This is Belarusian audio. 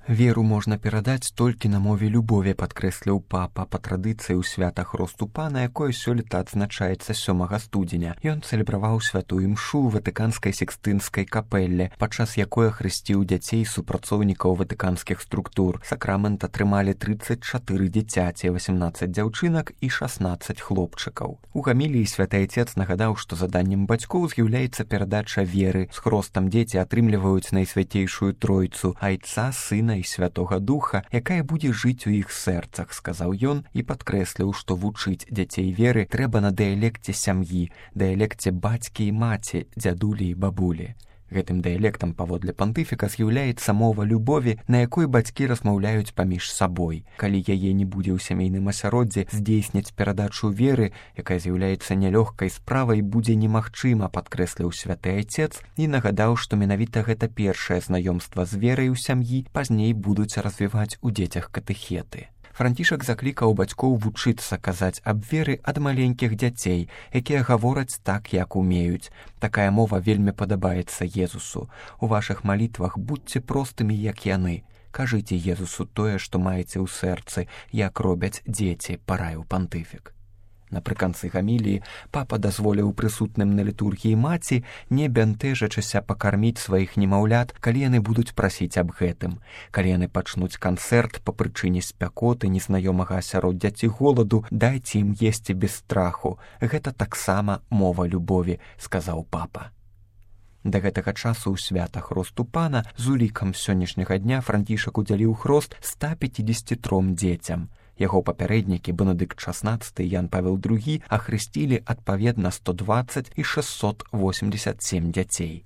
Веру можна перадаць толькі на мове любові, падкрэсліў папа па традыцыі ў свята Хросту Пана, якое сёлета адзначаецца 7 студзеня. Ён цэлебраваў святую імшу ў ватыканскай секстынскай капэлле, падчас якой хрысціў дзяцей супрацоўнікаў ватыканскіх структур. Сакрамент атрымалі 34 дзіцяці, 18 дзяўчынак і 16 хлопчыкаў. У гаміліі святы Айцец нагадаў, што заданнем бацькоў з'яўляецца перадача веры. З хростам дзеці атрымліваюць найсвяцейшую тройцу Айца, Сына і Святога Духа, якая будзе жыць у іх сэрцах, сказаў ён і падкрэсліў, што вучыць дзяцей веры трэба на дыялекце сям'і, дыялекце бацькі і маці, дзядулі і бабулі. Гэтым дыялектам, паводле пантыфіка, з'яўляецца мова любові, на якой бацькі размаўляюць паміж сабой. Калі яе не будзе ў сямейным асяроддзі, здзейсніць перадачу веры, якая з'яўляецца нялёгкай справай, будзе немагчыма, падкрэсліў святы Айцец і нагадаў, што менавіта гэта першае знаёмства з верай у сям'і, пазней будуць развіваць у дзецях катэхеты. Францішак заклікаў бацькоў вучыцца казаць аб веры ад маленькіх дзяцей, якія гавораць так, як умеюць. Такая мова вельмі падабаецца Езусу. У вашых малітвах будьце простымі, як яны. Кажыце Езусу тое, што маеце ў сэрцы, як робяць дзеці, параіў пантыфік. Напрыканцы гаміліі папа дазволіў прысутным на літургіі маці, не бянтэжачыся, пакарміць сваіх немаўлят, калі яны будуць прасіць аб гэтым. Калі яны пачнуць канцэрт па прычыне спякоты, незнаёмага асяроддзя ці голаду, дайце ім есці без страху. Гэта таксама мова любові, сказаў папа. Да гэтага часу ў свята Хросту Пана з улікам сённяшняга дня Францішак удзяліў хрост 153 дзецям. Яго папярэднікі Бенедыкт XVI і Ян Павел II ахрысцілі адпаведна 120 і 687 дзяцей.